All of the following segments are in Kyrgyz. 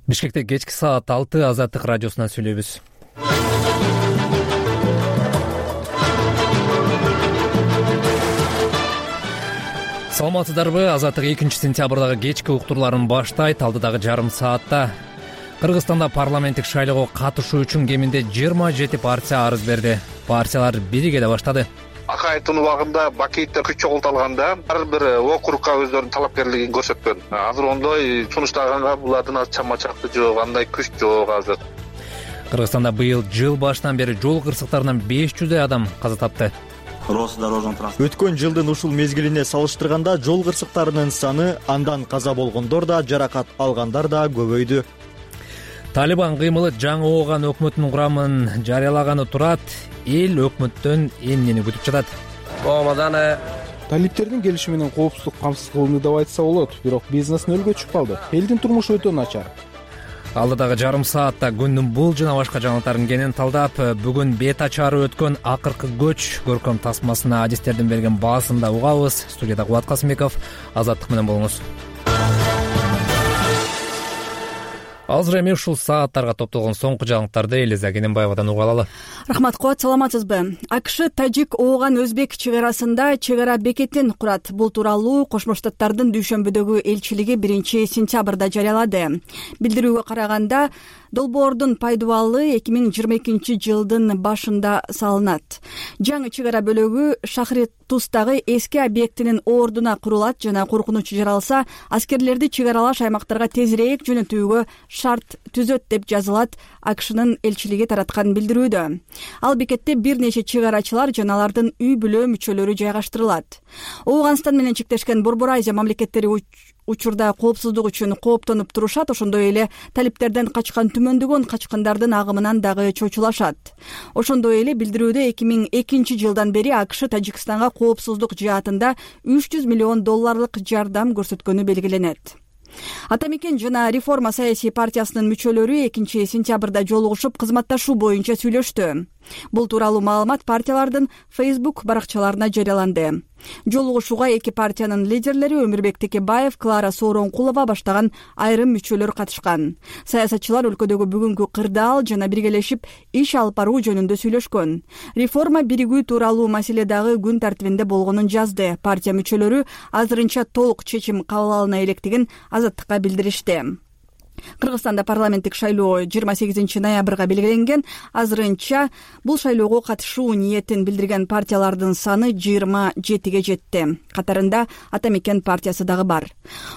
Бишкекте кечки саат 6 Азаттык радиосунан сүйлөйбүз. Саламатсыздарбы? Азаттык 2-сентябрдагы кечки уктурларын баштайт. Алдыдагы жарым саатта Кыргызстанда парламенттик шайлоого катышуу үчүн кеминде 27 партия арыз берди. Партиялар биригеде баштады. Акаевдин убагында Бакиевдер күч чогулталганда ар бир округга өздөрүнүн талапкерлигин көрсөткөн. Азыр ондой сунуштаганга булардын чама-чакты жок, андай күч жок азыр. Кыргызстанда быйыл жыл башынан бери жол кырсыктарынан 500 адам каза тапты. Өткөн жылдын ушул мезгилине салыштырганда жол кырсыктарынын саны, андан каза болгондор да, жаракат алгандар да көбөйдү. Талибан кыймылы жаңы ооган өкмөттүн курамын жарыялаганы турат. Эл өкмөттөн эмнени күтүп жатат? Талиптердин келиши менен коопсуздук камсыз кылынды деп айтса болот, бирок бизнес нөлгө түшүп калды. Элдин турмушу өтө начар. Алдыдагы жарым саатта күндүн бул жана башка жаңылыктарын кенен талдап, бүгүн бет ачары өткөн акыркы көч көркөм тасмасына адистердин берген баасын да угабыз. Студияда Кубат Касымбеков, Азаттык менен болуңуз. Азыр эми ушул сааттарга топтолгон соңку жаңылыктарды Элиза Кененбаевадан угуп алалы. Рахмат, Кубат, саламатсызбы? АКШ тажик ооган өзбек чек арасында чек ара бекетин курат. Бул тууралуу Кошмо Штаттардын дүйшөмбүдөгү элчилиги 1-сентябрда жарыялады. Билдирүүгө караганда, долбоордун пайдубалы 2022 жылдын башында салынат. Жаңы чек ара бөлөгү Шахритустагы эски объектинин ордуна курулат жана коркунуч жаралса, аскерлерди чек аралаш аймактарга тезирээк жөнөтүүгө шарт түзөт деп жазылат АКШнын элчилиги тараткан билдирүүдө. Ал бекетте бир нече чек арачылар жана алардын үй бүлө мүчөлөрү жайгаштырылат. Ооганстан менен чектешкен Борбор Азия мамлекеттери учурда коопсуздук үчүн кооптонуп турушат, ошондой эле талиптерден качкан түмөндөгөн качкындардын агымынан дагы чочулашат. Ошондой эле билдирүүдө 2002 жылдан бери АКШ Тажикстанга коопсуздук жаатында $300 миллион жардам көрсөткөнү белгиленет. Атамекен жана Реформа саясий партиясынын мүчөлөрү 2-сентябрда жолугушуп кызматташуу боюнча сүйлөштү. Бул тууралуу маалымат партиялардын Facebook баракчаларына жарыяланды. Жолугушууга эки партиянын лидерлери Өмүрбек Текебаев, Клара Сооронкулова баштаган айрым мүчөлөр катышкан. Саясатчылар өлкөдөгү бүгүнкү кырдаал жана биргелешип иш алып баруу жөнүндө сүйлөшкөн. Реформа биригүү тууралуу маселе дагы күн тартибинде болгонун жазды. Партия мүчөлөрү азырынча толук чечим кабыл алына электигин Азаттыкка билдиришти. Кыргызстанда парламенттик шайлоо 28 ноябрга белгиленген. Азырынча бул шайлоого катышуу ниетин билдирген партиялардын саны 27ге жетти. Катарында Атамекен партиясы дагы бар.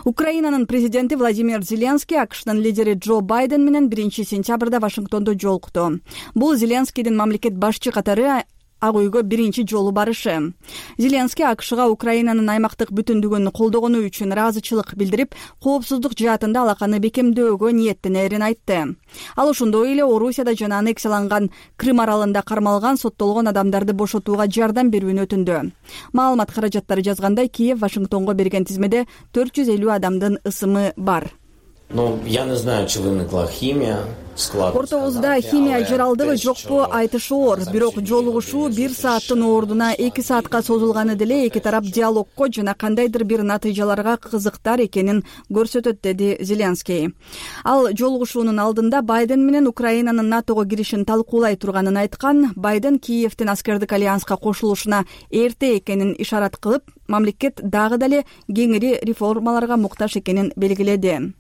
Украинанын президенти Владимир Зеленский АКШнын лидери Джо Байден менен 1-сентябрда Вашингтондо жолукту. Бул Зеленскийдин мамлекет башчы катары Ак үйгө биринчи жолу барышы. Зеленский АКШга Украинанын аймактык бүтүндүгүн колдогону үчүн ыраазычылык билдирип, коопсуздук жаатында алаканы бекемдөөгө ниеттенерин айтты. Ал ошондой эле Орусияда жана аннексияланган Крым аралында кармалган соттолгон адамдарды бошотууга жардам берүүнү өтүндү. Маалымат каражаттары жазгандай, Киев Вашингтонго берген тизмеде 450 адамдын ысымы бар. Я не знаю, чи виникла химия. Ортобузда химия жаралдыгы жокпу айтыш оор. Бирок жолугушуу 1 сааттын ордуна 2 саатка созулганы деле эки тарап диалогко жана кандайдыр бир натыйжаларга кызыктар экенин көрсөтөт, деди Зеленский. Ал жолугушуунун алдында Байден менен Украинанын НАТОго киришин талкуулай турганын айткан. Байден Киевдин аскердик альянска кошулушуна эрте экенин ишарат кылып, мамлекет дагы деле кеңири реформаларга муктаж экенин белгиледи.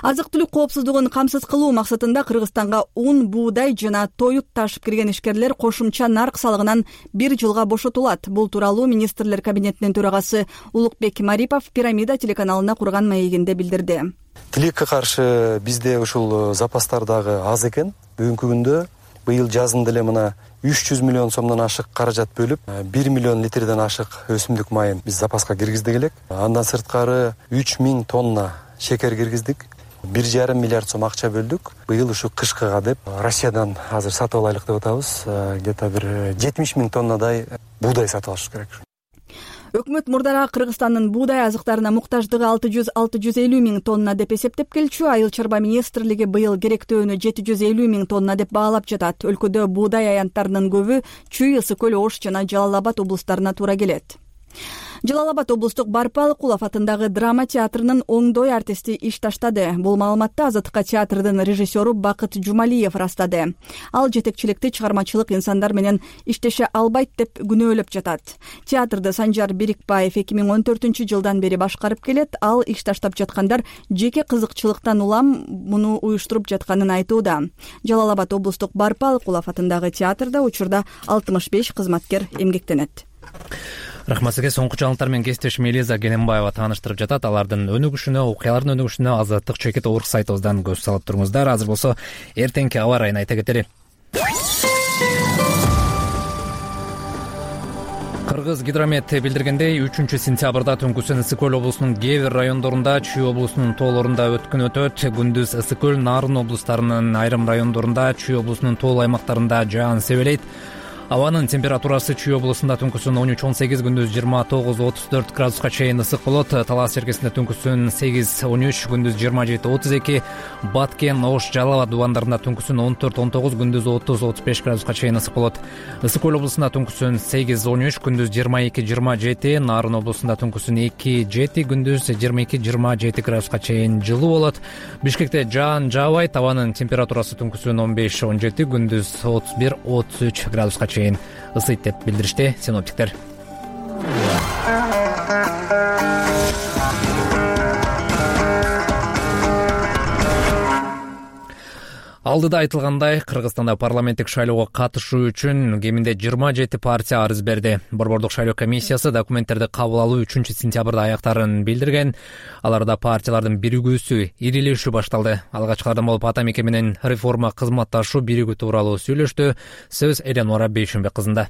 Азык-түлүк коопсуздугун камсыз кылуу максатында Кыргызстанга ун, буудай жана тоют ташып кирген ишкерлер кошумча нарк салыгынан 1 жылга бошотулат. Бул тууралуу министрлер кабинетинин төрагасы Улукбек Марипов Пирамида телеканалына курган маегинде билдирди. Тилекке каршы бизде ушул запастар дагы аз экен. Бүгүнкү күндө быйыл жазында эле мына 300 миллион сомдон ашык каражат бөлүп, 1 миллион литрден ашык өсүмдүк майын биз запаска киргиздик элек. Андан сырткары 3000 тонна шекер киргиздик. 1,5 миллиард сом акча бөлдүк. Быйыл ушу кышкыга деп Россиядан азыр сатып алайлык деп атабыз. Где-то бир 70 000 тоннадай буудай сатып алыш керек. Өкмөт мурдара Кыргызстандын буудай азыктарына муктаждыгы 600-650 миң тонна деп эсептеп келчү. Айыл чарба министрлиги быйыл керектөөнү 750 миң тонна деп баалап жатат. Өлкөдө буудай аянттарынын көбү Чүй, Ысык көл, Ош жана Жалал Абад облустарына туура келет. Жалал Абад облустук Барпалыкулов атындагы драма театрынын оңдой артисти иш таштады. Бул маалыматты Азаттыкка театрдын режиссеру Бакыт Жумалиев ырастады. Ал жетекчиликти чыгармачылык инсандар менен иштеше албайт деп күнөөлөп жатат. Театрды Санжар Берикбаев 2014-жылдан бери башкарып келет. Ал иш таштап жаткандар жеке кызыкчылыктан улам муну уюштуруп жатканын айтууда. Жалал Абад облустук Барпалыкулов атындагы театрда учурда 65 кызматкер эмгектенет. Рахмат сизге. Соңку жаңылыктар менен кесиптешим Элиза Генембаева тааныштырып жатат. Алардын өнүгүшүнө, окуялардын өнүгүшүнө Азаттык Чекит орг сайтыбыздан көз салып туруңуздар. Азыр болсо эртеңки аба ырайын айта кетели. Кыргыз гидромет билдиргендей, 3-сентябрда түнкүсүн Ысык көл облусунун кээ бир райондорунда, Чүй облусунун тоолорунда өткөн өтөт. Күндүз Ысык көл, Нарын облустарынын айрым райондорунда, Чүй облусунун тоол аймактарында жаан себелейт. Абанын температурасы Чүй облусунда түнкүсүн 13-18, күндүз 29-34 градуска чейин ысык болот. Талас черкесинде түнкүсүн 8-13, күндүз 27-32, Баткен, Ош, Жалал Абад дубандарында түнкүсүн 14-19, күндүз 30-35 градуска чейин ысык болот. Ысык көл облусунда түнкүсүн 8-13, күндүз 22-27, Нарын облусунда түнкүсүн 2-7, күндүз 22-27 градуска чейин жылуу болот. Бишкекте жаан жаабайт. Абанын температурасы түнкүсүн 15-17, күндүз 31-33 градуска чейин ысыйт деп билдиришти синоптиктер. Алдыда айтылгандай, Кыргызстанда парламенттик шайлоого катышуу үчүн кеминде 27 партия арыз берди. Борбордук шайлоо комиссиясы документтерди кабыл алуу 3-сентябрда аяктарын билдирген. Аларда партиялардын биригүүсү, ирилешүү башталды. Алгачкылардан болуп Ата Мекен менен реформа кызматташуу биригүү тууралуу сүйлөштү. Сөз Эленора Бейшенбек кызында.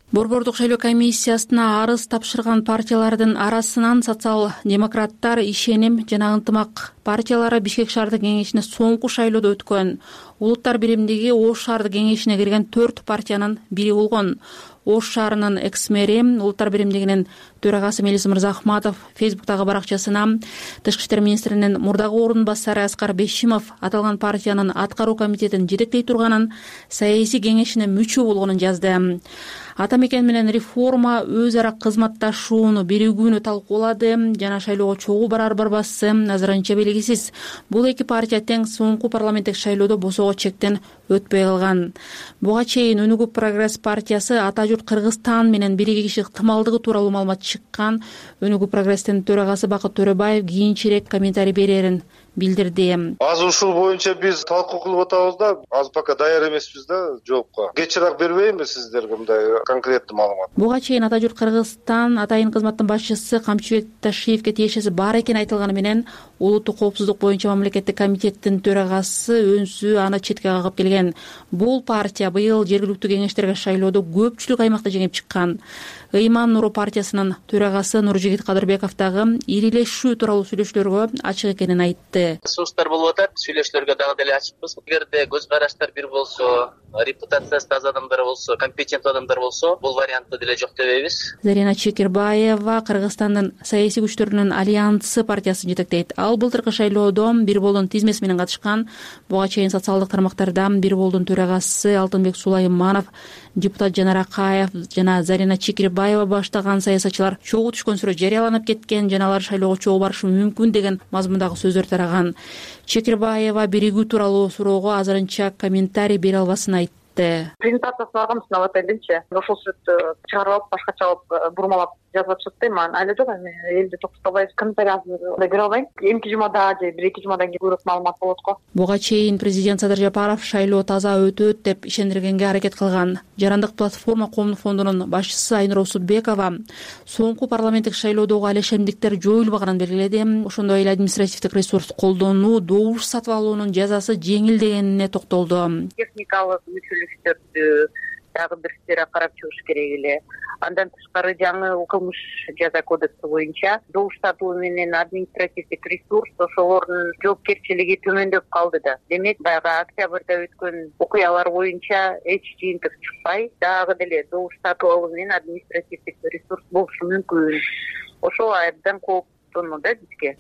Борбордук шайлоо комиссиясына арыз тапшырган партиялардын арасынан социал-демократтар, Ишеним жана Ынтымак партиялары Бишкек шаардык кеңешине соңку шайлоодо өткөн. Улуттар биримдиги Ош шаардык кеңешине кирген 4 партиянын бири болгон. Ош шаарынын экс-мэри, Улуттар биримдигинин төрагасы Мелис Мырзахматов Фейсбуктагы баракчасына Тышкы иштер министринин мурдагы орун басары Аскар Бешимов аталган партиянын аткаруу комитетин жетектей турганын, саясий кеңешине мүчө болгонун жазды. Ата Мекен менен реформа өз ара кызматташууну, биригүүнү талкуулады жана шайлоого чогуу барар-барбасы азырынча белгисиз. Бул эки партия тең соңку парламенттик шайлоодо босоого чектен өтпөй калган. Буга чейин Өнүгүү Прогресс партиясы Ата журт Кыргызстан менен биригиши ыктымалдыгы тууралуу маалымат чыккан. Өнүгүү Прогресстин төрагасы Бакыт Төрөбаев кийинчерээк комментарий берерин билдирди. Азыр ушул боюнча биз талкуу кылып атабыз да, азыр пока даяр эмеспиз да жоопко. Кечирээк бербейинби сиздерге мындай конкреттүү маалымат? Буга чейин Ата журт Кыргызстан атайын кызматтын башчысы Камчыбек Ташиевке тиешеси бар экени айтылганы менен улуттук коопсуздук боюнча мамлекеттик комитеттин төрагасы өнсү аны четке кагып келген. Бул партия быйыл жергиликтүү кеңештерге шайлоодо көпчүлүк аймакта жеңип чыккан. Ыйман Нуру партиясынын төрагасы Нуржигит Кадырбеков дагы ирилешүү тууралуу сүйлөшүүлөргө ачык экенин айтты. Сунуштар болуп атат, сүйлөшүүлөргө дагы деле ачыкпыз. Эгерде көз караштар бир болсо, репутациясы таза адамдар болсо, компетенттүү адамдар болсо, бул вариантты деле жок дебейбиз. Зарина Чекирбаева Кыргызстандын саясий күчтөрүнүн альянсы партиясын жетектейт. Ал былтыркы шайлоодо Бир болдун тизмеси менен катышкан. Буга чейин социалдык тармактарда Бир болдун төрагасы Алтынбек Сулайманов, депутат Жанар Акаев жана Зарина Чекирбаева баштаган саясатчылар чогуу түшкөн сүрөт жарыяланып кеткен жана алар шайлоого чогуу барышы мүмкүн деген мазмундагы сөздөр тараган. Чекирбаева биригүү тууралуу суроого азырынча комментарий бере албасын айтты. Презентациясын алгам, сынап атайлычы. Ошол сүрөттү чыгарып алып, башкача алып, бурмалап жазып атышты. Мен айла жок, элди токустабай комментарий бере албайм. Эмки жумада же бир-эки жумадан кийин көбүрөөк маалымат болот го. Буга чейин президент Садыр Жапаров шайлоо таза өтөт деп ишендиргенге аракет кылган. Жарандык платформа коомдук фондунун башчысы Айнура Усутбекова соңку парламенттик шайлоодогу алешемдиктер жоюлбаганын белгиледи. Ошондой эле административдик ресурс колдонуу, добуш сатып алуунун жазасы жеңилдегенине токтолду. Техникалык мүчөлүктөрдү дагы бир сфера карап чыгыш керек эле. Андан тышкары жаңы кылмыш жаза кодекси боюнча добуш сатуу менен административдик ресурс ошолордун жоопкерчилиги төмөндөп калды да. Демек, баягы октябрда өткөн окуялар боюнча эч жыйынтык чыкпай, дагы деле добуш сатуу алуу менен административдик ресурс болушу мүмкүн. Ошол абдан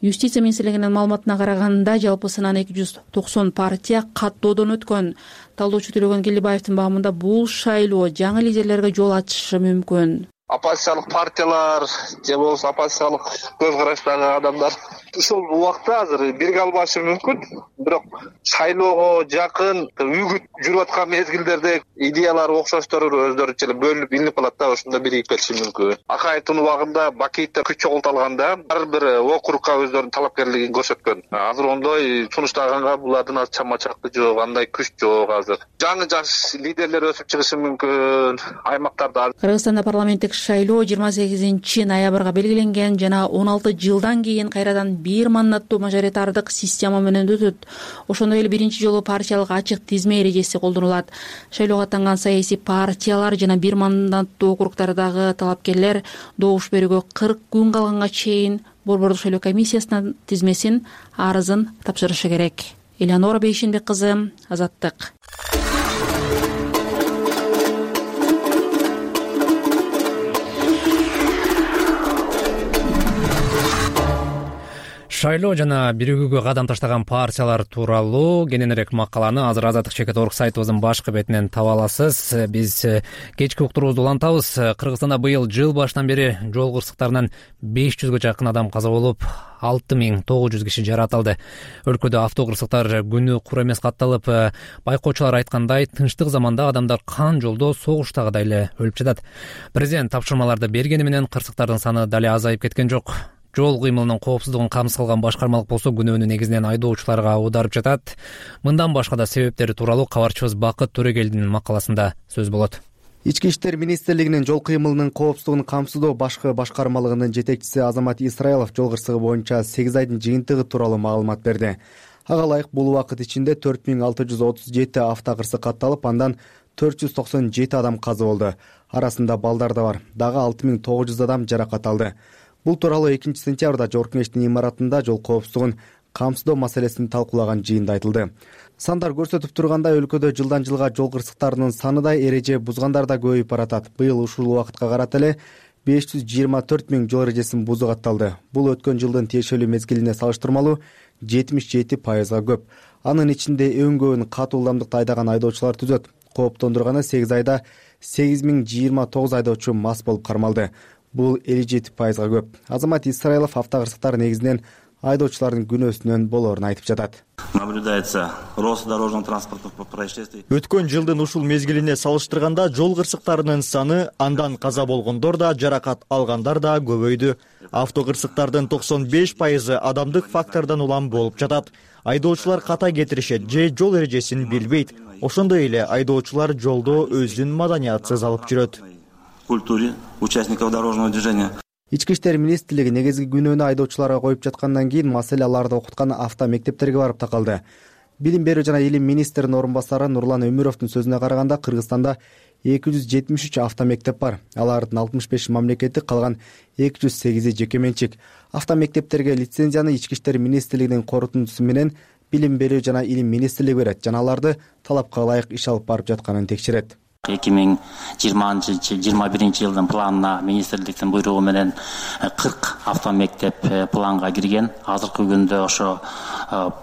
Юстиция министрлигинин маалыматына караганда, жалпысынан 290 партия каттоодон өткөн. Талдоочу Төлөгөн Келдибаевдин баамында бул шайлоо жаңы лидерлерге жол ачышы мүмкүн. оппозициялык партиялар же болбосо оппозициялык көз караштагы адамдар ушул убакта азыр бирге албашы мүмкүн, бирок шайлоого жакын үгүт жүрүп аткан мезгилдерде идеялары окшоштор өздөрүнчө эле бөлүнүп илинип калат да, ошондо биригип кетиши мүмкүн. Акаевдин убагында Бакиевде күч чогулталганда ар бир округга өздөрүнүн талапкерлигин көрсөткөн. Азыр ондой сунуштаганга булардын аз чама-чакты жок, андай күч жок азыр. Жаңы жаш лидерлер өсүп чыгышы мүмкүн аймактарда. Кыргызстанда парламенттик шайлоо 28 ноябрга белгиленген жана 16 жылдан кийин кайрадан бир мандаттуу мажоритардык система менен өтөт. Ошондой эле биринчи жолу партиялык ачык тизме эрежеси колдонулат. Шайлоого аттанган саясий партиялар жана бир мандаттуу округдардагы талапкерлер добуш берүүгө 40 күн калганга чейин Борбордук шайлоо комиссиясынын тизмесин, арызын тапшырышы керек. Элеонора Бейшенбек кызы, Азаттык. Шайлоо жана биригүүгө кадам таштаган партиялар тууралуу кененирээк макаланы азыр Азаттык /Орг сайтыбыздын башкы бетинен таба аласыз. Биз кечки уктуруубузду улантабыз. Кыргызстанда быйыл жыл башынан бери жол кырсыктарынан 500гө жакын адам каза болуп, 6900 киши жаратылды. Өлкөдө автокырсыктар күнү кур эмес катталып, байкоочулар айткандай, тынчтык заманда адамдар кан жолдо согуштагыдай эле өлүп жатат. Президент тапшырмаларды бергени менен кырсыктардын саны дале азайып кеткен жок. Жол кыймылынын коопсуздугун камсыз кылган башкармалык болсо күнөөнү негизинен айдоочуларга аударып жатат. Мындан башка да себептери тууралуу кабарчыбыз Бакыт Төрөгелдин макаласында сөз болот. Ички иштер министрлигинин жол кыймылынын коопсуздугун камсыздоо башкы башкармалыгынын жетекчиси Азамат Исраилов жол кырсыгы боюнча 8 айдын жыйынтыгы тууралуу маалымат берди. Ага ылайык бул убакыт ичинде 4637 автокырсык катталып, андан 497 адам каза болду. Арасында балдар да бар. Дагы 6900 адам жаракат алды. Бул тууралуу 2 сентябрда Жогорку Кеңештин имаратында жол коопсуздугун камсыздоо маселесин талкуулаган жыйында айтылды. Сандар көрсөтүп тургандай, өлкөдө жылдан жылга жол кырсыктарынын саны да, эреже бузгандар да көбөйүп баратат. Быйыл ушул убакытка карата эле 524 000 жол эрежесин бузуу катталды. Бул өткөн жылдын тиешелүү мезгилине салыштырмалуу 77%га көп. Анын ичинде эң көбүн катуу ылдамдыкта айдаган айдоочулар түзөт. Кооптондурганы 8 айда 8029 айдоочу мас болуп кармалды. Бул 57%га көп. Азамат Исраилов автокырсыктар негизинен айдоочулардын күнөөсүнөн болоорун айтып жатат. Наблюдается рост дорожного транспортных происшествий. Өткөн жылдын ушул мезгилине салыштырганда жол кырсыктарынын саны, андан каза болгондор да, жаракат алгандар да көбөйдү. Автокырсыктардын 95% адамдык фактордон улам болуп жатат. Айдоочулар ката кетиришет же жол эрежесин билбейт. Ошондой эле айдоочулар жолдо өзүн маданиятсыз алып жүрөт. Культуре участников дорожного движения. Ички иштер министрлиги негизги күнөөнү айдоочуларга коюп жаткандан кийин маселе аларды окуткан автомектептерге барып такалды. Билим берүү жана илим министринин орун басары Нурлан Өмүровдун сөзүнө караганда, Кыргызстанда 273 автомектеп бар. Алардын 65 мамлекеттик, калган 208 жеке менчик. Автомектептерге лицензияны Ички иштер министрлигинин корутундусу менен Билим берүү жана илим министрлиги берет жана аларды талапка ылайык иш алып барып жатканын текшерет. 2020-21 жылдын планына министрликтин буйругу менен 40 автомектеп планга кирген. Азыркы күндө ошо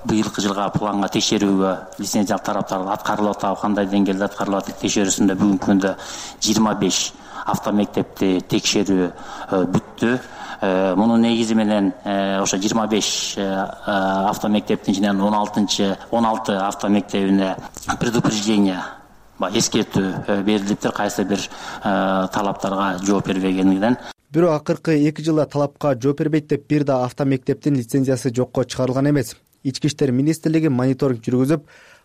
быйылкы жылга планга текшерүүгө лицензиялык тараптар аткарылып атат. Кандай деңгээлде аткарылып атат текшерүүсүндө бүгүнкү күндө 25 автомектепти текшерүү бүттү. Мунун негизи менен ошо 25 автомектептин ичинен 16 автомектебине предупреждение, эскертүү берилиптир, кайсы бир талаптарга жооп бербегендигинен. Бирок акыркы 2 жылда талапка жооп бербейт деп бир да автомектептин лицензиясы жокко чыгарылган эмес. Ички иштер министрлиги мониторинг жүргүзүп,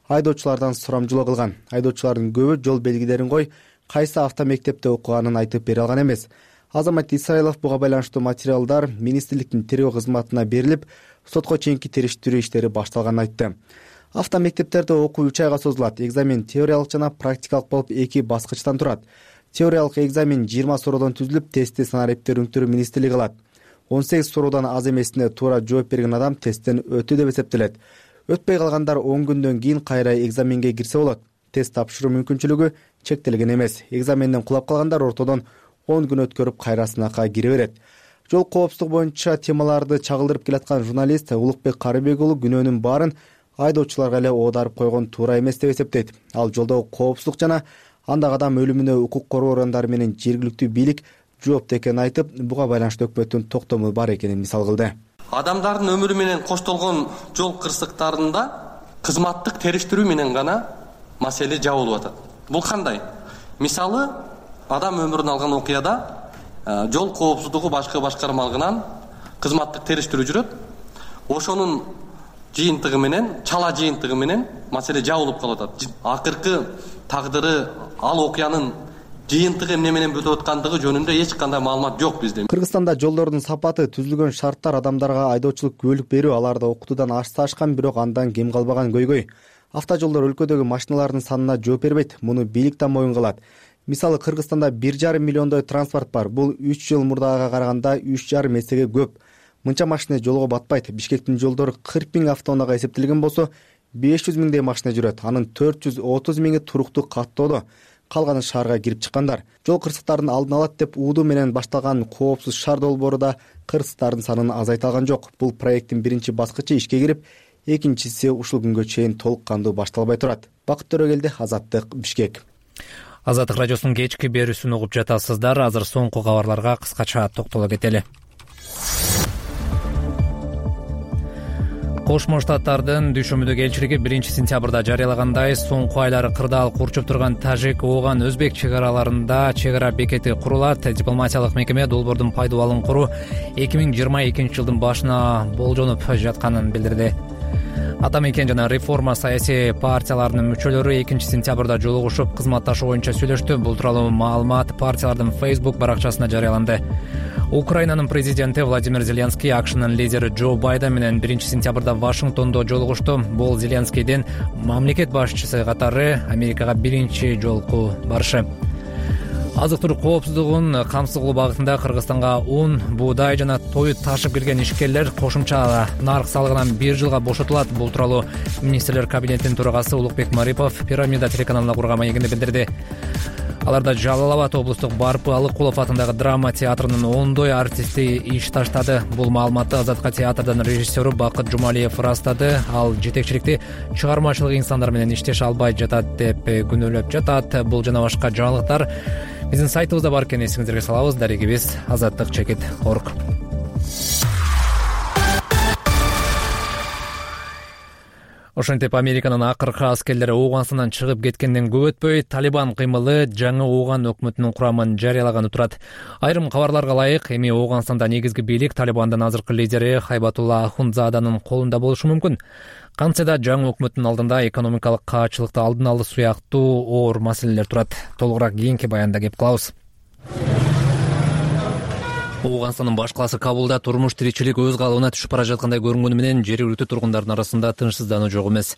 айдоочулардан сурамжылоо кылган. Айдоочулардын көбү жол белгилерин кой, кайсы автомектепте окуганын айтып бере алган эмес. Азамат Исраилов буга байланыштуу материалдар министрликтин тергөө кызматына берилип, сотко чейинки териштирүү иштери башталганын айтты. Автомектептерде окуу 3 айга созулат. Экзамен теориялык жана практикалык болуп 2 баскычтан турат. Теориялык экзамен 20 суроодон түзүлүп, тестти санариптер өңтүрүү министрлиги кылат. 18 суроодан аз эмесине туура жооп берген адам тесттен өттү деп эсептелет. Өтпөй калгандар 10 күндөн кийин кайра экзаменге кирсе болот. Тест тапшыруу мүмкүнчүлүгү чектелген эмес. Экзаменден кулап калгандар ортодон 10 күн өткөрүп кайра сынакка кире берет. Жол коопсуздугу боюнча темаларды чагылдырып келаткан журналист Улукбек Карыбек уулу күнөөнүн баарын айдоочуларга эле оодарып койгон туура эмес деп эсептейт. Ал жолдогу коопсуздук жана андагы адам өлүмүнө укук коргоо органдары менен жергиликтүү бийлик жоопту экенин айтып, буга байланыштуу өкмөттүн токтому бар экенин мисал кылды. Адамдардын өмүрү менен коштолгон жол кырсыктарында кызматтык териштирүү менен гана маселе жабылып атат. Бул кандай? Мисалы, адам өмүрүн алган окуяда жол коопсуздугу башкы башкармалыгынан кызматтык териштирүү жүрөт. Ошонун жыйынтыгы менен, чала жыйынтыгы менен маселе жабылып калып атат. Акыркы тагдыры ал окуянын жыйынтыгы эмне менен бүтүп аткандыгы жөнүндө эч кандай маалымат жок бизде. Кыргызстанда жолдордун сапаты, түзүлгөн шарттар адамдарга айдоочулук күбөлүк берүү аларды окутуудан ашса ашкан, бирок андан кем калбаган көйгөй. Автожолдор өлкөдөгү машиналардын санына жооп бербейт. Муну бийлик да моюн кылат. Мисалы, Кыргызстанда 1,5 миллиондой транспорт бар. Бул 3 жыл мурдагыга караганда 3,5 эсеге көп. Мынча машина жолго батпайт. Бишкектин жолдору 40 000 автоунаага эсептелген болсо, 500 000 машина жүрөт. Анын 430 000 туруктуу каттоодо. Калганы шаарга кирип чыккандар. Жол кырсыктарын алдын алат деп уудуу менен башталган коопсуз шаар долбоору да кырсыктардын санын азайта алган жок. Бул проекттин биринчи баскычы ишке кирип, экинчиси ушул күнгө чейин толук кандуу башталбай турат. Бакыт Төрөгелди, Азаттык, Бишкек. Азаттык радиосунун кечки берүүсүн угуп жатасыздар. Азыр соңку кабарларга кыскача токтоло кетели. Кошмо Штаттардын Дүйшөмбүдөгү элчилиги 1-сентябрда жарыялагандай, соңку айлары кырдаал курчуп турган Тажик-Ооган Өзбек чек араларында чек ара бекети курулат. Дипломатиялык мекеме долбоордун пайдаланылып куруу 2022 жылдын башына болжонуп жатканын билдирди. Ата мекен жана реформа саясий партияларынын мүчөлөрү 2-сентябрда жолугушуп, кызматташуу боюнча сүйлөштү. Бул тууралуу маалымат партиялардын Facebook баракчасына жарыяланды. Украинанын президенти Владимир Зеленский АКШнын лидери Джо Байден менен 1-сентябрда Вашингтондо жолугушту. Бул Зеленскийдин мамлекет башчысы катары Америкага биринчи жолку барышы. Азык-түлүк коопсуздугун камсыз кылуу багытында Кыргызстанга ун, буудай жана той ташып келген ишкерлер кошумча нарк салыгынан 1 жылга бошотулат. Бул тууралуу министрлер кабинетинин төрагасы Улукбек Марипов Пирамида телеканалына курган маегинде билдирди. Аларда Жалал Абад облустук Барпы Алыкулов атындагы драма театрынын ондой артисти иш таштады. Бул маалыматты Азатка театрдын режиссеру Бакыт Жумалиев ырастады. Ал жетекчиликти чыгармачылык инсандар менен иштеш албай жатат деп күнөөлөп жатат. Бул жана башка жаңылыктар биздин сайтыбызда бар экенин эсиңиздерге салабыз. Дарегибиз azattik.org. Ошентип Американын акыркы аскерлери Ооганстандан чыгып кеткенден көп өтпөй, Талибан кыймылы жаңы Ооган өкмөтүнүн курамын жарыялаганы турат. Айрым кабарларга ылайык, эми Ооганстанда негизги бийлик Талибандын азыркы лидери Хайбатулла Ахундзаданын колунда болушу мүмкүн. Кантсе да жаңы өкмөттүн алдында экономикалык каачылыкты алдын алуу сыяктуу оор маселелер турат. Толугураак кийинки баянда кеп кылабыз. Ооганстандын баш калаасы Кабулда турмуш тиричилик өз калыбына түшүп бара жаткандай көрүнгөнү менен жергиликтүү тургундардын арасында тынчсыздануу жок эмес.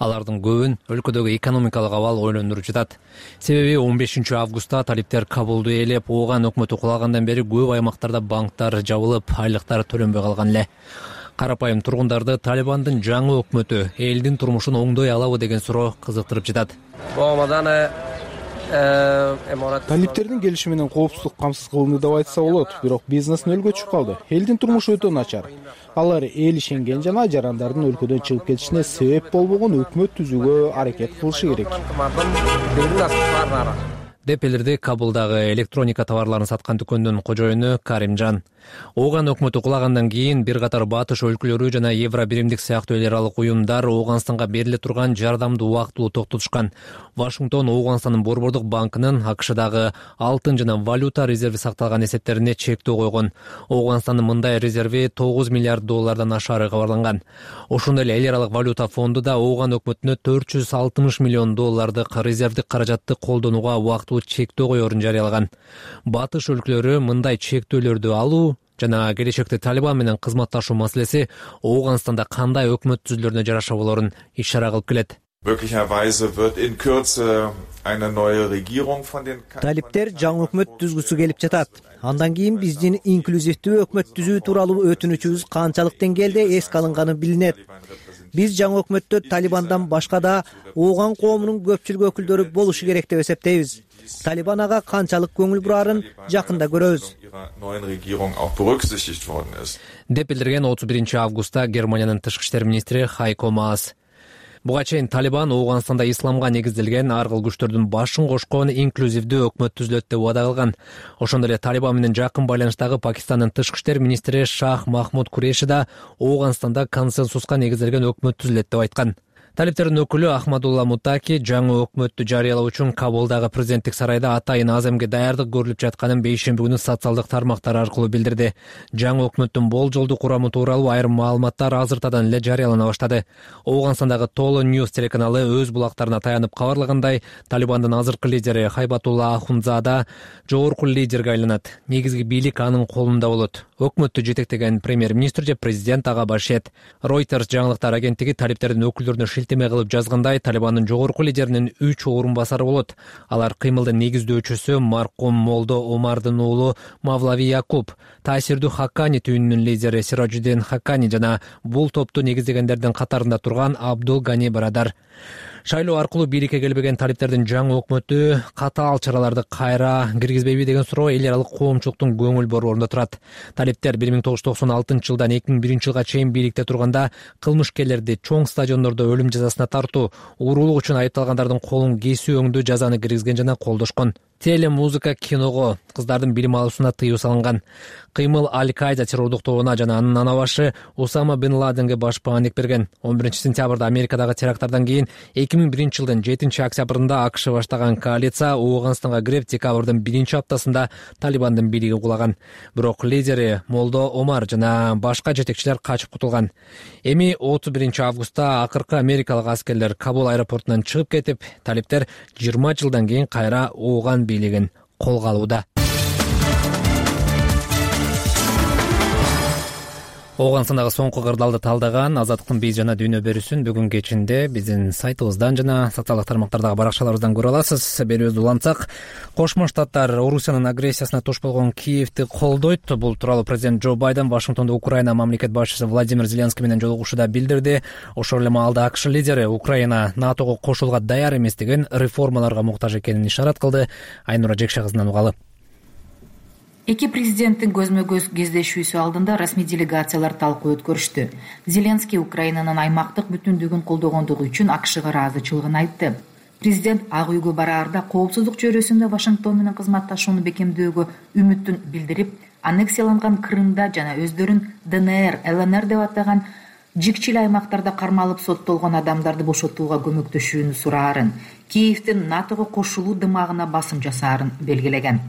Алардын көбүн өлкөдөгү экономикалык абал ойлондуруп жатат. Себеби 15 августта талиптер Кабулду ээлеп, Ооган өкмөтү кулагандан бери көп аймактарда банктар жабылып, айлыктар төлөнбөй калган эле. Карапайым тургундарды Талибандын жаңы өкмөтү элдин турмушун оңдой алабы деген суроо кызыктырып жатат. Талиптердин келиши менен коопсуздук камсыз кылынды деп айтса болот, бирок бизнес нөлгө түшүп калды. Элдин турмушу өтө начар. Алар эл ишенген жана жарандардын өлкөдөн чыгып кетишине себеп болбогон өкмөт түзүүгө аракет кылышы керек. деп билдирди Кабулдагы электроника товарларын саткан дүкөндүн кожоюну Каримжан. Ооган өкмөтү кулагандан кийин бир катар батыш өлкөлөрү жана Евро биримдик сыяктуу эл аралык уюмдар Ооганстанга бериле турган жардамды убактылуу токтотушкан. Вашингтон Ооганстандын Борбордук банкынын АКШдагы алтын жана валюта резерви сакталган эсептерине чектөө койгон. Ооганстандын мындай резерви $9 миллиард ашары кабарланган. Ошондой эле эл аралык валюта фонду да Ооган өкмөтүнө $460 миллион резервдик каражатты колдонууга убактылуу чектөө коерун жарыялаган. Батыш өлкөлөрү мындай чектөөлөрдү алуу жана келечекте Талибан менен кызматташуу маселеси Ооганстанда кандай өкмөт түзүлөрүнө жараша болорун ишара кылып келет. Талиптер жаңы өкмөт түзгүсү келип жатат. Андан кийин биздин инклюзивдүү өкмөт түзүү тууралуу өтүнүчүбүз канчалык деңгээлде эске алынганы билинет. Биз жаңы өкмөттө Талибандан башка да Ооган коомунун көпчүлүк өкүлдөрү болушу керек деп эсептейбиз. Талибан ага канчалык көңүл бурарын жакында көрөбүз. Деп билдирген 31 августта Германиянын тышкы иштер министри Хайко Маас. Буга чейин Талибан Ооганстанда исламга негизделген ар кыл күчтөрдүн башын кошкон инклюзивдүү өкмөт түзүлөт деп убада кылган. Ошондой эле Талибан менен жакын байланыштагы Пакистандын тышкы иштер министри Шах Махмуд Куреши да Ооганстанда консенсуска негизделген өкмөт түзүлөт деп айткан. Талиптердин өкүлү Ахмадулла Мутаки жаңы өкмөттү жарыялоо үчүн Кабулдагы президенттик сарайда атайын аземге даярдык көрүлүп жатканын бейшемби күнү социалдык тармактар аркылуу билдирди. Жаңы өкмөттүн болжолдуу курамы тууралуу айрым маалыматтар азыртадан эле жарыялана баштады. Ооганстандагы Толо Ньюс телеканалы өз булактарына таянып кабарлагандай, Талибандын азыркы лидери Хайбатулла Ахунзада жогорку лидерге айланат. Негизги бийлик анын колунда болот. Өкмөттү жетектеген премьер-министр же президент ага башет. Reuters жаңылыктар агенттиги талиптердин өкүлдөрүнө шилтеме кылып жазгандай, Талибандын жогорку лидеринин 3 орун басары болот. Алар кыймылдын негиздөөчүсү маркум Молдо Омардын уулу Мавлави Якуб, таасирдүү Хаккани түйүнүнүн лидери Сираджуддин Хаккани жана бул топту негиздегендердин катарында турган Абдул Гани Барадар. Шайлоо аркылуу бийликке келбеген талиптердин жаңы өкмөтү катаал чараларды кайра киргизбейби деген суроо эл аралык коомчулуктун көңүл борборунда турат. Талиптер 1996-жылдан 2001-жылга чейин бийликте турганда кылмышкерлерди чоң стадиондордо өлүм жазасына тартуу, уурулук үчүн айыпталгандардын колун кесүү өңдүү жазаны киргизген жана колдошкон. Теле, музыка, киного, кыздардын билим алуусуна тыюу салынган. Кыймыл Аль-Каида террордук тобуна жана анын анабашы Усама бин Ладенге башпаандык берген. 11-сентябрда Америкадагы теракттардан кийин 2001-жылдын 7-октябрында АКШ баштаган коалиция Ооганстанга кирип, декабрдын 1-аптасында Талибандын бийлиги кулаган. Бирок лидери Молдо Омар жана башка жетекчилер качып кутулган. Эми 31-августта акыркы америкалык аскерлер Кабул аэропортунан чыгып кетип, талиптер 20 жылдан кийин кайра Ооган бийлигин колго алууда. Ооганстандагы соңку кырдаалды талдаган Азаттыктын бий жана дүйнө берүүсүн бүгүн кечинде биздин сайтыбыздан жана социалдык тармактардагы баракчаларыбыздан көрө аласыз. Берүүбүздү улантсак, Кошмо Штаттар Орусиянын агрессиясына туш болгон Киевди колдойт. Бул тууралуу президент Джо Байден Вашингтондо Украина мамлекет башчысы Владимир Зеленский менен жолугушууда билдирди. Ошол эле маалда АКШ лидери Украина НАТОго кошулууга даяр эместигин, реформаларга муктаж экенин ишарат кылды. Айнура Жекше кызынан угалы. Эки президенттин көзмө-көз кездешүүсү алдында расмий делегациялар талкуу өткөрүштү. Зеленский Украинанын аймактык бүтүндүгүн колдогондугу үчүн АКШга ыраазычылыгын айтты. Президент Ак үйгө бараарда коопсуздук чөйрөсүндө Вашингтон менен кызматташууну бекемдөөгө үмүтүн билдирип, аннексияланган Крымда жана өздөрүн ДНР, ЛНР деп атаган жикчил аймактарда кармалып соттолгон адамдарды бошотууга көмөктөшүүнү сураарын, Киевдин НАТОго кошулуу дымагына басым жасаарын белгилеген.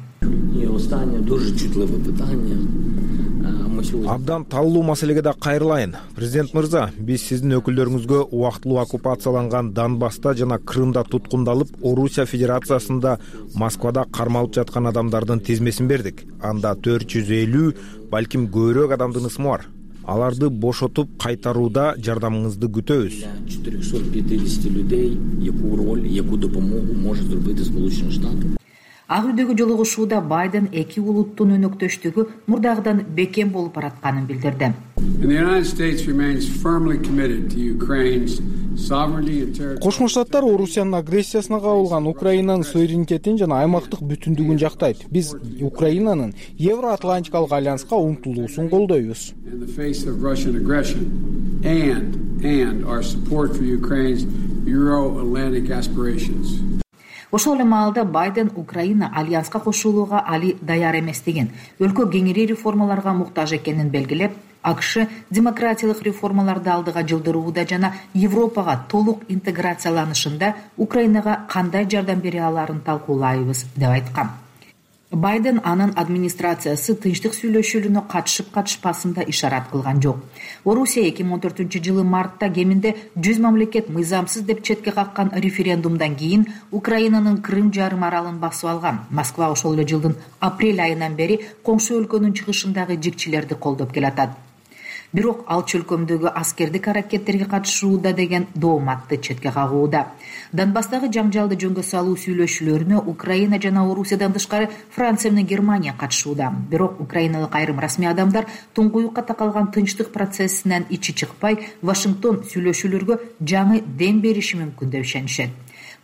Абдан таллуу маселеге да кайрылайын. Президент мырза, биз сиздин өкүлдөрүңүзгө убактылуу оккупацияланган Донбасста жана Крымда туткундалып, Орусия Федерациясында Москвада кармалып жаткан адамдардын тизмесин бердик. Анда 450, балким көбүрөөк адамдын ысмы бар. Аларды бошотуп кайтарууда жардамыңызды күтөбүз. 450 людей, яку роль, яку допомогу може зробити Сполучені Штати. Ак үйдөгү жолугушууда Байден эки улуттун өнөктөштүгү мурдагыдан бекем болуп баратканын билдирди. Кошмо Штаттар Орусиянын агрессиясына кабылган Украинанын суверенитетин жана аймактык бүтүндүгүн жактайт. Биз Украинанын Евроатлантикалык альянска умтулуусун колдойбуз. Ошол эле маалда Байден Украина альянска кошулууга али даяр эместигин, өлкө кеңири реформаларга муктаж экенин белгилеп, АКШ демократиялык реформаларды алдыга жылдырууда жана Европага толук интеграцияланышында Украинага кандай жардам бере алаарын талкуулайбыз деп айткан. Байден анын администрациясы тынчтык сүйлөшүүлүнө катышып-катышпасын да ишарат кылган жок. Орусия 2014-жылы мартта кеминде 100 мамлекет мыйзамсыз деп четке каккан референдумдан кийин Украинанын Крым жарым аралын басып алган. Москва ошол эле жылдын апрель айынан бери коңшу өлкөнүн чыгышындагы жикчилерди колдоп келатат. Бирок ал чөлкөмдөгү аскердик аракеттерге катышууда деген дооматты четке кагууда. Донбасстагы жаңжалды жөнгө салуу сүйлөшүүлөрүнө Украина жана Орусиядан тышкары Франция менен Германия катышууда. Бирок украиналык айрым расмий адамдар туңгуюкка такалган тынчтык процессинен ичи чыкпай, Вашингтон сүйлөшүүлөргө жаңы дем бериши мүмкүн деп ишенишет.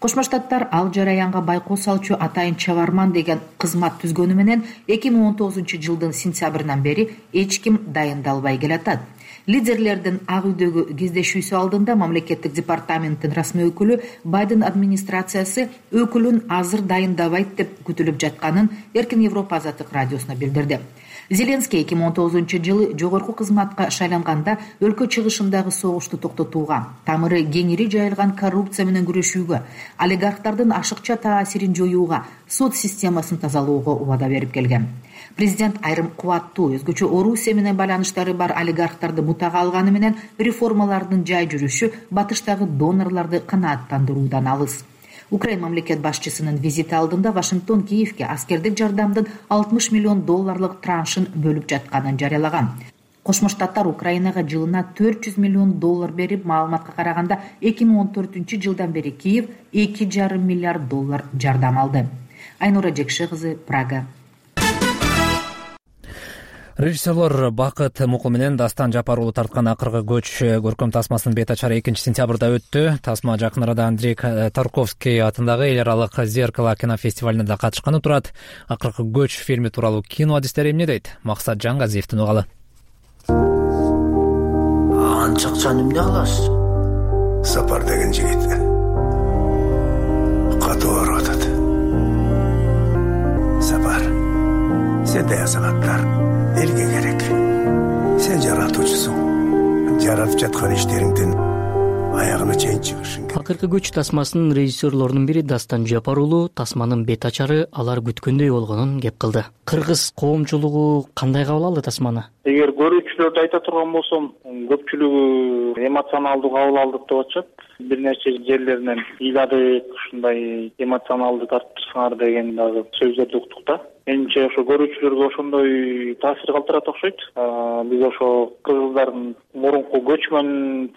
Кошмо Штаттар ал жараянга байкоо салчу атайын чабарман деген кызмат түзгөнү менен 2019-жылдын сентябрынан бери эч ким дайындалбай келатат. Лидерлердин Ак үйдөгү кездешүүсү алдында мамлекеттик департаменттин расмий өкүлү Байден администрациясы өкүлүн азыр дайындабайт деп күтүлүп жатканын Эркин Европа азаттык радиосуна билдирди. Зеленский 2019-жылы жогорку кызматка шайланганда өлкө чыгышындагы согушту токтотууга, тамыры кеңири жайылган коррупция менен күрөшүүгө, олигархтардын ашыкча таасирин жоюуга, сот системасын тазалоого убада берип келген. Президент айрым кубаттуу, өзгөчө Орусия менен байланыштары бар олигархтарды мутага алганы менен реформалардын жай жүрүшү батыштагы донорлорду канааттандыруудан алыс. Украин мамлекет башчысынын визити алдында Вашингтон Киевке аскердик жардамдын $60 миллион траншын бөлүп жатканын жарыялаган. Кошмо Штаттар Украинага жылына $400 миллион берип, маалыматка караганда 2014-жылдан бери Киев $2,5 миллиард жардам алды. Айнура Жекше кызы, Прага. Режиссерлор Бакыт Мукул менен Дастан Жапар уулу тарткан акыркы көч көркөм тасмасынын бет ачары 2-сентябрда өттү. Тасма жакын арада Андрей Тарковский атындагы эл аралык Зеркало кинофестивалине да катышканы турат. Акыркы көч фильми тууралуу кино адистери эмне дейт? Максат Жангазиевдин угалы. Анча акчаны эмне кыласыз? Сапар деген жигит катуу ооруп атат. Сапар, сенде санаттар элге керек. Сен жаратуучусуң. Жаратып жаткан иштериңдин аягына чейин чыгышың керек. Акыркы көч тасмасынын режиссерлорунун бири Дастан Жапар уулу тасманын бет ачары алар күткөндөй болгонун кеп кылды. Кыргыз коомчулугу кандай кабыл алды тасманы? Эгер көрүүчүлөрдү айта турган болсом, көпчүлүгү эмоционалдуу кабыл алдык деп атышат. Бир нече жерлеринен ыйладык, ушундай эмоционалдуу тартыпсыңар деген дагы сөздөрдү уктук да. Менимче ошо көрүүчүлөргө ошондой таасир калтырат окшойт. Биз ошо кыргыздардын мурунку көчмөн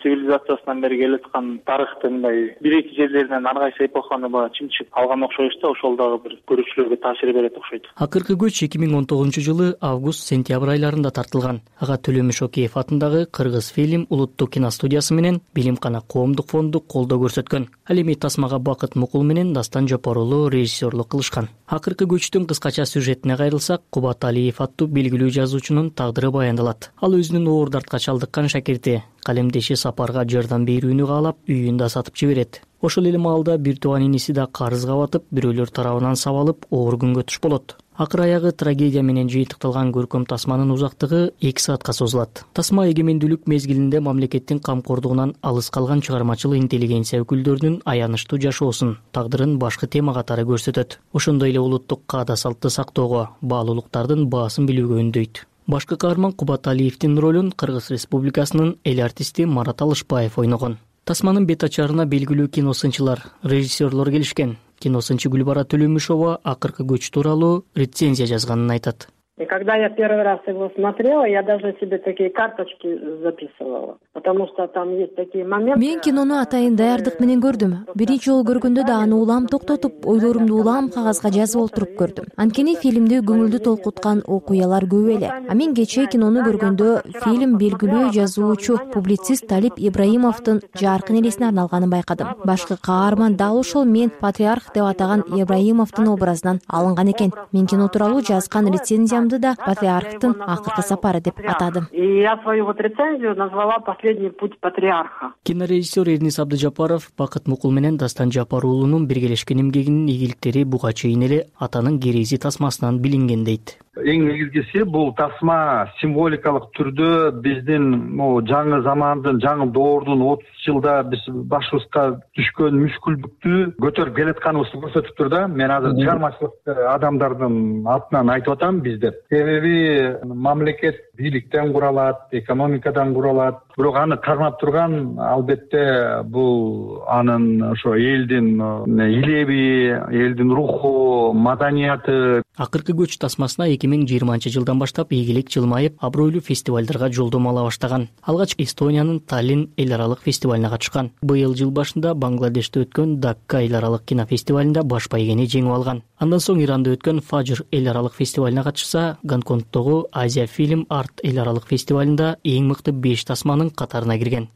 цивилизациясынан бери келаткан тарыхтын мындай бир-эки жерлеринен ар кайсы эпоханы баягы чымчып алган окшойбуз да, ошол дагы бир көрүүчүлөргө таасир берет окшойт. Акыркы көч 2019-жылы август-сентябрь айларында тартылган. Ага Төлөмүш Океев атындагы Кыргыз фильм улуттук киностудиясы менен Билимкана коомдук фонду колдоо көрсөткөн. Ал эми тасмага Бакыт Мукул менен Дастан Жапар уулу режиссерлук кылышкан. Акыркы көчтүн кыскача сюжетине кайрылсак, Кубат Алиев аттуу белгилүү жазуучунун тагдыры баяндалат. Ал өзүнүн оор дартка чалдыккан шакирти калемдеши Сапарга жардам берүүнү каалап, үйүн да сатып жиберет. Ошол эле маалда бир тууган иниси да карызга батып, бирөөлөр тарабынан сабалып, оор күнгө туш болот. Акыр аягы трагедия менен жыйынтыкталган көркөм тасманын узактыгы 2 саатка созулат. Тасма эгемендүүлүк мезгилинде мамлекеттин камкордугунан алыс калган чыгармачыл интеллигенция өкүлдөрүнүн аянычтуу жашоосун, тагдырын башкы тема катары көрсөтөт. Ошондой эле улуттук каада салтты сактоого, баалуулуктардын баасын билүүгө үндөйт. Башкы каарман Кубат Алиевдин ролун Кыргыз Республикасынын эл артисти Марат Алышбаев ойногон. Тасманын бет ачарына белгилүү киносынчылар, режиссерлор келишкен. Киносынчы Гүлбара Төлөмүшова акыркы көч тууралуу рецензия жазганын айтат. И когда я первый раз его смотрела, я даже себе такие карточки записывала, потому что там есть такие моменты. Мен кинону атайын даярдык менен көрдүм. Биринчи жолу көргөндө да аны улам токтотуп, ойлорумду улам кагазга жазып олтуруп көрдүм. Анткени фильмде көңүлдү толкуткан окуялар көп эле. А мен кечээ кинону көргөндө фильм белгилүү жазуучу, публицист Талип Ибраимовдун жаркын элесине арналганын байкадым. Башкы каарман дал ошол мен патриарх деп атаган Ибраимовдун образынан алынган экен. Мен кино тууралуу жазган рецензия да патриархтын акыркы сапары деп атадым. И я свою вот рецензию назвала «Последний путь патриарха». Кинорежиссер Эрнис Абдыжапаров Бакыт Мукул менен Дастан Жапар уулунун биргелешкен эмгегинин ийгиликтери буга чейин эле атанын керези тасмасынан билинген дейт. Эң негизгиси бул тасма символикалык түрдө биздин жаңы замандын, жаңы доордун 30 жылда биз башыбызга түшкөн мүшкүлдүктү көтөрүп келатканыбызды көрсөтүп тур да. Мен азыр чыгармачылык адамдардын атынан айтып атам биздеп. Себеби мамлекет бийликтен куралат, экономикадан куралат. Бирок аны кармап турган албетте бул анын ошо элдин илеби, элдин руху, маданияты. Акыркы көч тасмасына 2020-жылдан баштап ийгилик жылмайып, абройлуу фестивалдарга жолдомо ала баштаган. Алгач Эстониянын Таллин эл аралык фестивалине катышкан. Быйыл жыл башында Бангладеште өткөн Дакка эл аралык кинофестивалинде баш байгени жеңип алган. Андан соң Иранда өткөн Фажр эл аралык фестивалине катышса, Гонконгдогу Азия фильм арт эл аралык фестивалинде эң мыкты 5 тасманын катарына кирген.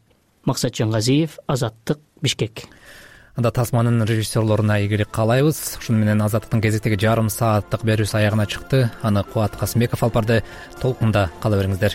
Максат Жангазиев, Азаттык, Бишкек. Анда тасманын режиссерлоруна ийгилик каалайбыз. Ушуну менен Азаттыктын кезектеги жарым сааттык берүүсү аягына чыкты. Аны Кубат Касымбеков алып барды. Толкунда кала бериңиздер.